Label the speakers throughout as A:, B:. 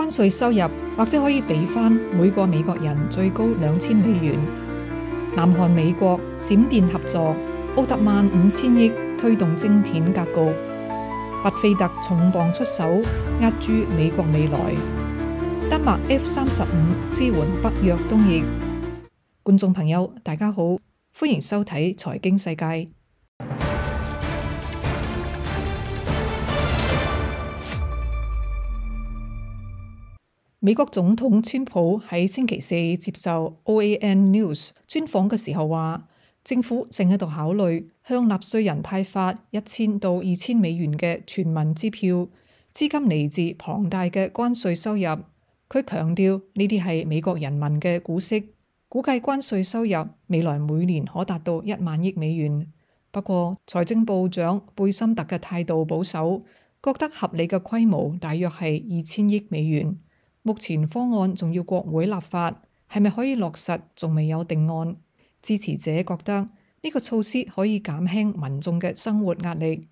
A: 關稅收入或者可以俾翻每個美國人最高$2000。南韓美國閃電合作，奧特曼5000億推動晶片格局，巴菲特重磅出手壓住美國未來，丹麥 F-35支援北約東翼。觀眾朋友大家好，歡迎收睇財經世界。美國總統川普喺星期四接受 OAN News 專訪嘅時候話，政府正喺度考慮向納稅人派發$1000到$2000嘅全民支票，資金嚟自龐大嘅關稅收入。佢強調呢啲係美國人民嘅股息，估計關稅收入未來每年可達到$10,000,000。不過財政部長貝森特嘅態度保守，覺得合理嘅規模大約係$2000億。目前方案仲要國會立法，係咪可以落實仲未有定案。支持者覺得呢個措施可以減輕民眾嘅生活壓力。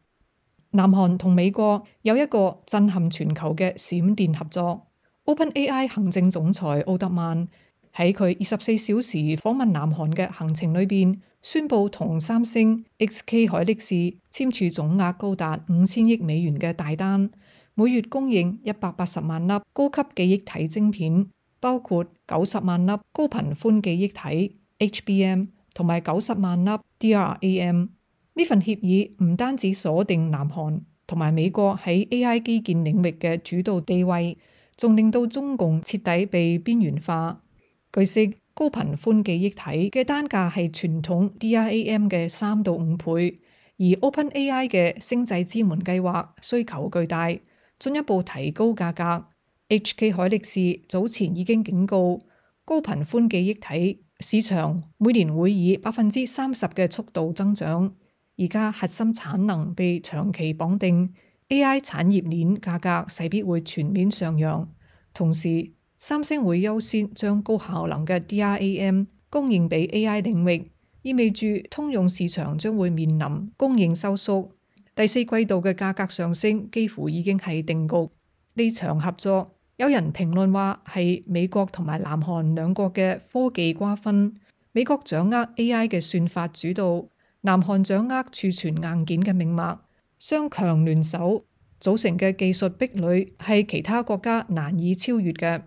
A: 南韓同美國有一個震撼全球嘅閃電合作。OpenAI 行政總裁奧特曼喺佢24小時訪問南韓嘅行程裏邊，宣布同三星、SK 海力士簽署總額高達$5000億嘅大單，每月供應180萬粒高級記憶體晶片，包括90萬粒高頻寬記憶體 HBM 同埋90萬粒 DRAM。呢份協議唔單止鎖定南韓同埋美國喺 AI 基建領域嘅主導地位，仲令到中共徹底被邊緣化。據悉，高頻寬記憶體嘅單價係傳統 DRAM 嘅3到5倍，而 OpenAI 嘅星際之門計劃需求巨大，進一步提高價格。HK 海力士早前已經警告，高頻寬記憶體市場每年會以30%嘅速度增長。而家核心產能被長期綁定， AI 產業鏈價格勢必會全面上揚。同時，三星會優先將高效能嘅 DRAM 供應俾 AI 領域，意味住通用市場將會面臨供應收縮。第四季度嘅價格上升幾乎已經係定局。呢場合作，有人評論話係美國同埋南韓兩國嘅科技瓜分，美國掌握 AI 嘅算法主導，南韓掌握儲存硬件嘅命脈，雙強聯手組成嘅技術壁壘係其他國家難以超越嘅。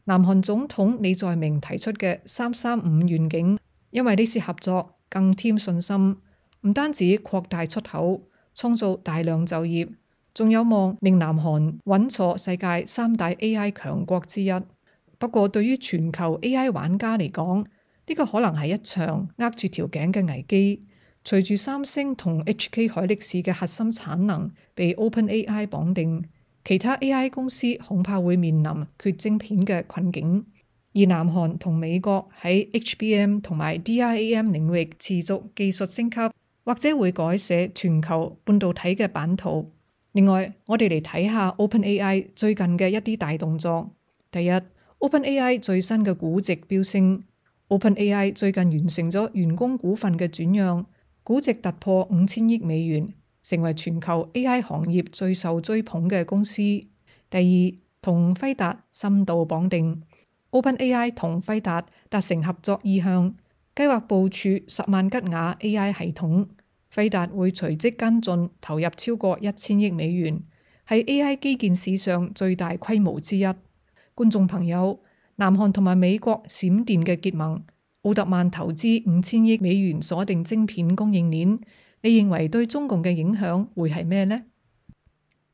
A: 南韓總統李在明提出嘅335願景，因為呢次合作更添信心，唔單止擴大出口，創造大量就業，仲有望令南韓穩坐世界3大 AI 強國之一。不過對於全球 AI 玩家嚟講，呢個可能係一場握住條頸嘅危機。隨住三星同 HK 海力士嘅核心產能被 OpenAI 綁定，其他 AI 公司恐怕會面臨缺晶片嘅困境。而南韓同美國喺 HBM 同埋 DRAM 領域持續技術升級，或者會改寫全球半導體嘅版圖。另外，我哋嚟睇下 OpenAI 最近嘅一啲大動作。第一， OpenAI 最新嘅估值飆升。OpenAI 最近完成咗員工股份嘅轉讓，估值突破$5000億，成為全球 AI 行業最受追捧嘅公司。第二，同輝達深度綁定。OpenAI 同輝達達成合作意向，計劃部署10萬吉瓦 AI 系統。輝達會隨即跟進，投入超過$1000億，係 AI 基建史上最大規模之一。觀眾朋友，南韓同埋美國閃電嘅結盟，奧特曼投資$5000億鎖定晶片供應鏈，你認為對中共嘅影響會係咩呢？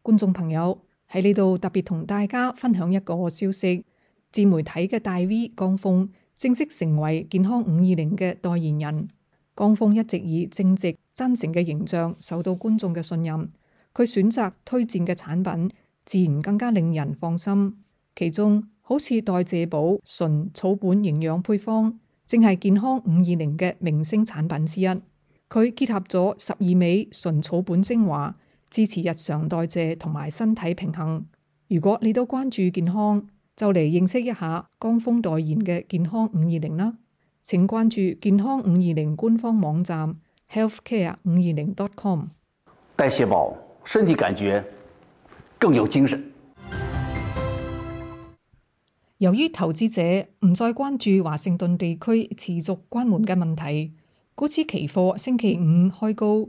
A: 觀眾朋友，喺呢度特別同大家分享一個消息，自媒體嘅大 V 江峰正式成為健康520嘅代言人。江峰一直以正直真誠嘅形象受到觀眾嘅信任，佢選擇推薦嘅產品自然更加令人放心。其中好似代謝寶純草本營養配方，正係健康520嘅明星產品之一。佢結合咗12味純草本精華，支持日常代謝同埋身體平衡。如果你都關注健康，就嚟認識一下江峰代言嘅健康520啦。請關注健康520官方網站 healthcare520.com。
B: 代謝寶，身體感覺更有精神。
A: 由於投資者唔再關注華盛頓地區持續關門嘅問題，股指期貨星期五開高。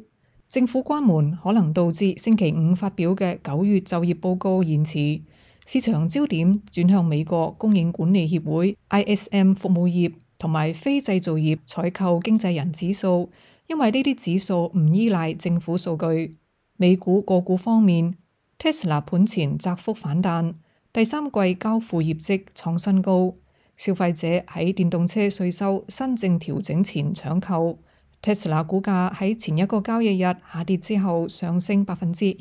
A: 政府關門可能導致星期五發表嘅9月就業報告延遲，市場焦點轉向美國供應管理協會 ISM 服務業同埋非製造業採購經紀人指數，因為呢啲指數唔依賴政府數據。美股個股方面，Tesla 盤前窄幅反彈，第三季交付業績創新高，消費者喺電動車稅收新政調整前搶購。Tesla 股價喺前一個交易日下跌之後上升1.6%，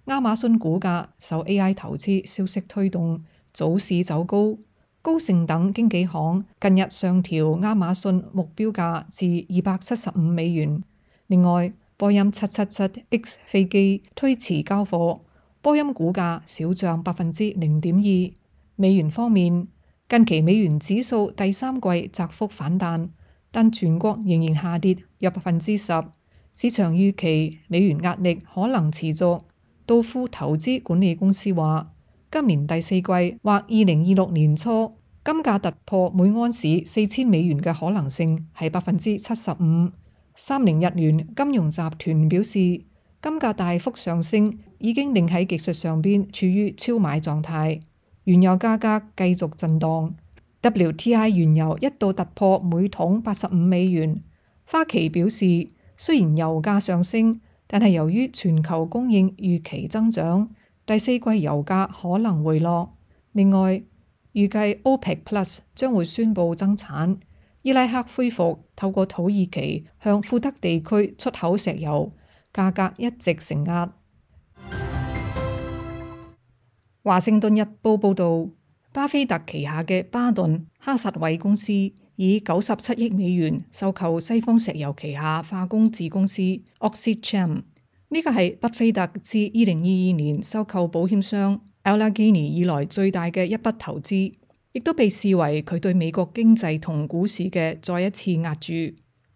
A: 亞馬遜股價受 AI 投資消息推動，早市走高。高盛等經紀行近日上調亞馬遜目標價至$275。另外，波音777X 飛機推遲交貨，波音股價小漲0.2%。美元方面，近期美元指數第三季窄幅反彈，但全國仍然下跌約10%。市場預期美元壓力可能持續。道富投資管理公司話，今年第四季或2026年初，金價突破每安士$4000嘅可能性係75%。30日元金融集團表示，金價大幅上升已經令喺技術上邊處於超買狀態。原油價格繼續震盪。WTI 原油一度突破每桶$85。花旗表示，雖然油價上升，但係由於全球供應預期增長，第四季油價可能回落。另外，預計 OPEC Plus 將會宣布增產。伊拉克恢復透過土耳其向庫德地區出口石油，價格一直承壓。華盛頓日報報導，巴菲特旗下嘅巴頓哈薩韋公司以$97億收購西方石油旗下化工子公司 OxyChem。呢個係巴菲特自2022年收購保險商 Allegheny 以來最大嘅一筆投資。亦都被視為佢對美國經濟同股市嘅再一次壓注。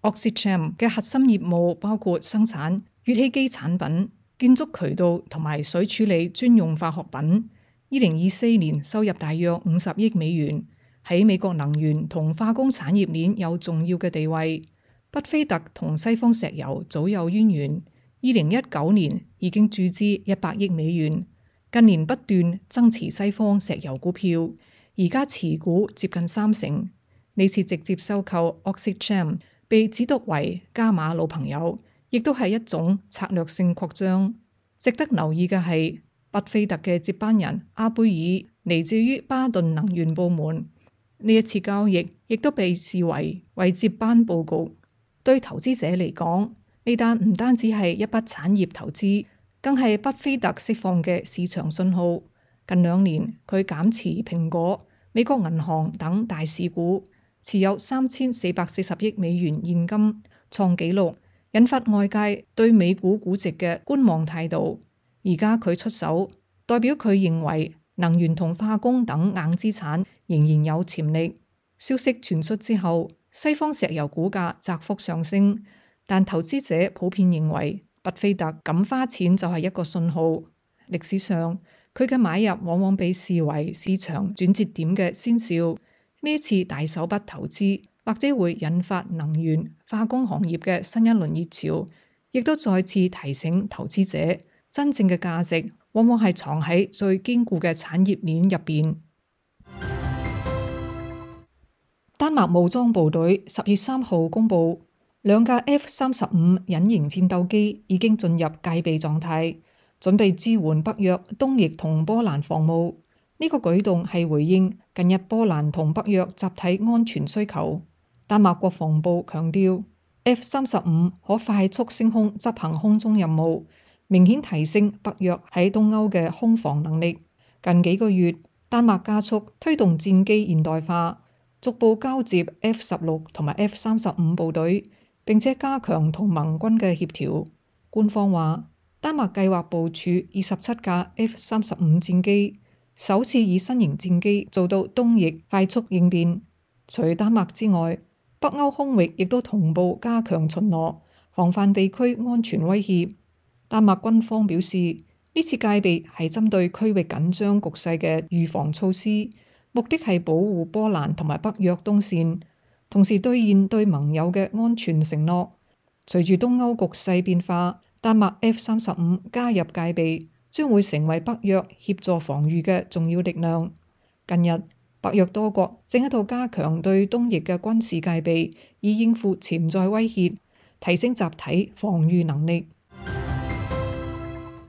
A: OxyChem 嘅核心業務包括生產乙烯基產品、建築渠道同埋水處理專用化學品。2024年收入大約$50億，喺美國能源同化工產業鏈有重要嘅地位。巴菲特同西方石油早有淵源，2019年已經注資$100億，近年不斷增持西方石油股票。而家持股接近30%，呢次直接收購 OxyChem 被指讀為加碼老朋友，亦都係一種策略性擴張。值得留意嘅係，巴菲特嘅接班人阿貝爾嚟自於巴頓能源部門，呢一次交易亦都被視為接班佈局。對投資者嚟講，呢單唔單止係一筆產業投資，更係巴菲特釋放嘅市場信號。近2年，佢減持蘋果、美國銀行等大市股，持有$3440億現金，創紀錄，引發外界對美股估值嘅觀望態度。而家佢出手，代表佢認為能源同化工等硬資產仍然有潛力。消息傳出之後，西方石油股價窄幅上升，但投資者普遍認為巴菲特敢花錢就係一個信號。歷史上，佢嘅買入往往被視為市場轉折點嘅先兆。呢一次大手筆投資，或者會引發能源化工行業嘅新一輪熱潮，亦都再次提醒投資者，真正嘅價值往往係藏喺最堅固嘅產業鏈入邊。丹麥武裝部隊10月3號公佈，2架 F-35隱形戰鬥機已經進入戒備狀態，準備支援北約東翼同波蘭防務。呢個舉動係回應近日波蘭同北約集體安全需求。丹麥國防部強調 ，F-35可快速升空執行空中任務，明顯提升北約喺東歐嘅空防能力。近幾個月，丹麥加速推動戰機現代化，逐步交接 F-16同埋 F-35部隊，並且加強同盟軍嘅協調。官方話，丹麥計劃部署27架 F-35戰機，首次以新型戰機做到東翼快速應變。除丹麥之外，北歐空域亦都同步加強巡邏，防範地區安全威脅。丹麥軍方表示，呢次戒備係針對區域緊張局勢嘅預防措施，目的係保護波蘭同埋北約東線，同時兌現對盟友嘅安全承諾。隨住東歐局勢變化，丹麥 F-35加入戒備，將會成為北約協助防禦嘅重要力量。近日，北約多國正喺度加強對東翼嘅軍事戒備，以應付潛在威脅，提升集體防禦能力。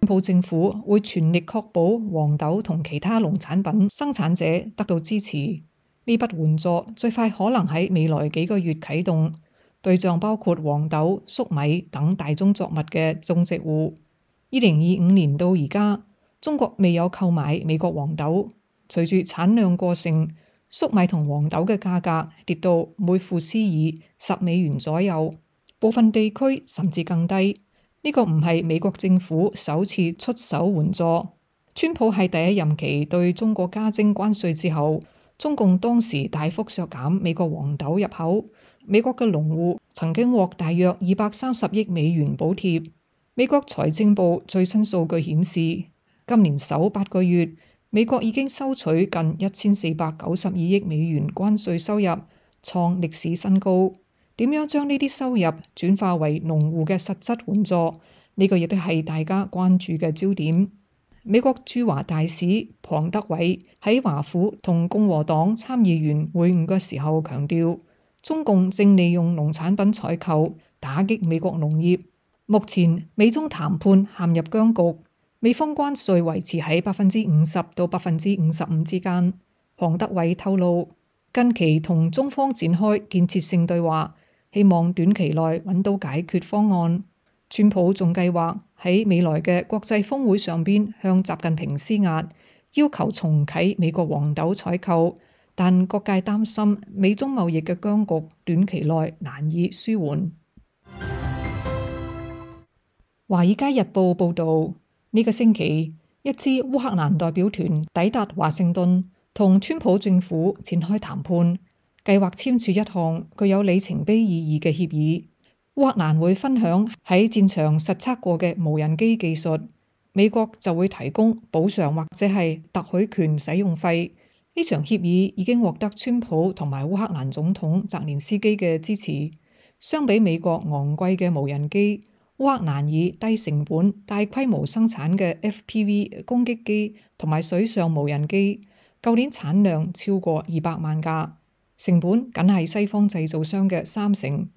A: 川普政府會全力確保黃豆同其他農產品生產者得到支持。呢筆援助最快可能喺未來幾個月啟動，對象包括黃豆、粟米等大宗作物嘅種植戶。2025年到而家，中國未有購買美國黃豆。隨住產量過剩，粟米同黃豆嘅價格跌到每富斯爾$10左右，部分地區甚至更低。呢個唔係美國政府首次出手援助。川普喺第一任期對中國加徵關稅之後，中共當時大幅削減美國黃豆入口，美國嘅農戶曾經獲大約230億美元補貼。美國財政部最新數據顯示，今年首8個月，美國已經收取近1492億美元關稅收入，創歷史新高。點樣將呢啲收入轉化為農戶嘅實質援助？呢個亦都係大家關注嘅焦點。美國駐華大使龐德偉喺華府同共和黨參議員會晤嘅時候強調，中共正利用農產品採購打擊美國農業。目前美中談判陷入僵局，美方關稅維持喺50%到55%之間。龐德偉透露，近期同中方展開建設性對話，希望短期內揾到解決方案。川普仲計劃喺未來嘅國際峰會上邊向習近平施壓，要求重啟美國黃豆採購，但各界擔心美中貿易嘅僵局短期內難以舒緩。華爾街日報報導，呢個星期一支烏克蘭代表團抵達華盛頓，同川普政府展開談判，計劃簽署一項具有里程碑意義嘅協議。烏克蘭會分享喺戰場實測過嘅無人機技術，美國就會提供補償或者係特許權使用費。呢場協議已經獲得川普同埋烏克蘭總統澤連斯基嘅支持。相比美國昂貴嘅無人機，烏克蘭以低成本大規模生產嘅 FPV 攻擊機同埋水上無人機，舊年產量超過200萬架，成本僅係西方製造商嘅30%。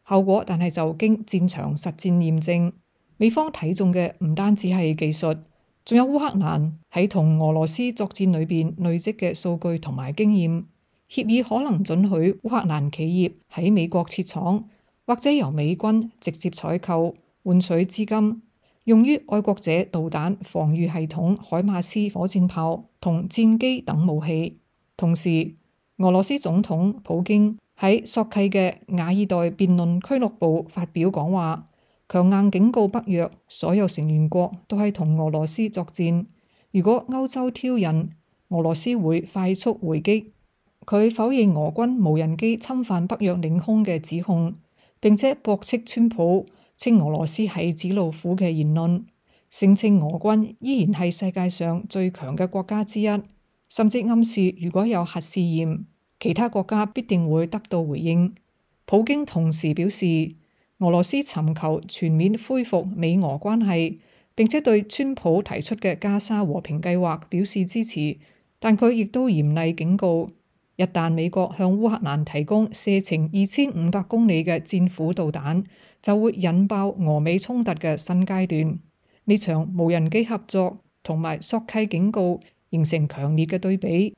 A: 後果但係就經戰場實戰驗證，美方睇中嘅唔單止係技術，仲有烏克蘭喺同俄羅斯作戰裏邊累積嘅數據同埋經驗。協議可能准許烏克蘭企業喺美國設廠，或者由美軍直接採購，換取資金，用於愛國者導彈防禦系統海馬斯火箭炮同戰機等武器。同時，俄羅斯總統普京喺索契嘅瓦爾代辯論俱樂部發表講話，強硬警告北約所有成員國都係同俄羅斯作戰。如果歐洲挑釁，俄羅斯會快速回擊。佢否認俄軍無人機侵犯北約領空嘅指控，並且駁斥川普稱俄羅斯係紙老虎嘅言論，聲稱俄軍依然係世界上最強嘅國家之一，甚至暗示如果有核試驗，其他國家必定會得到回應。普京同時表示，俄羅斯尋求全面恢復美俄關係，並且對川普提出嘅加沙和平計劃表示支持，但佢亦都嚴厲警告，一旦美國向烏克蘭提供射程2500公里嘅戰斧導彈，就會引爆俄美衝突嘅新階段。呢場無人機合作同埋索契警告形成強烈嘅對比。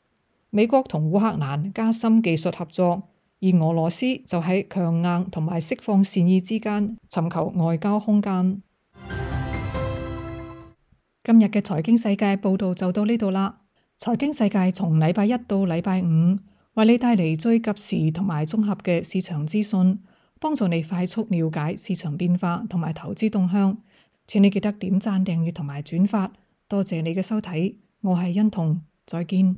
A: 美國同烏克蘭加深技術合作，而俄羅斯就喺強硬同埋釋放善意之間尋求外交空間。今日嘅財經世界報道就到呢度啦。財經世界從禮拜一到禮拜五，為你帶嚟最及時同埋綜合嘅市場資訊，幫助你快速了解市場變化同埋投資動向。請你記得點讚、訂閱同埋轉發。多謝你嘅收睇，我係欣彤，再見。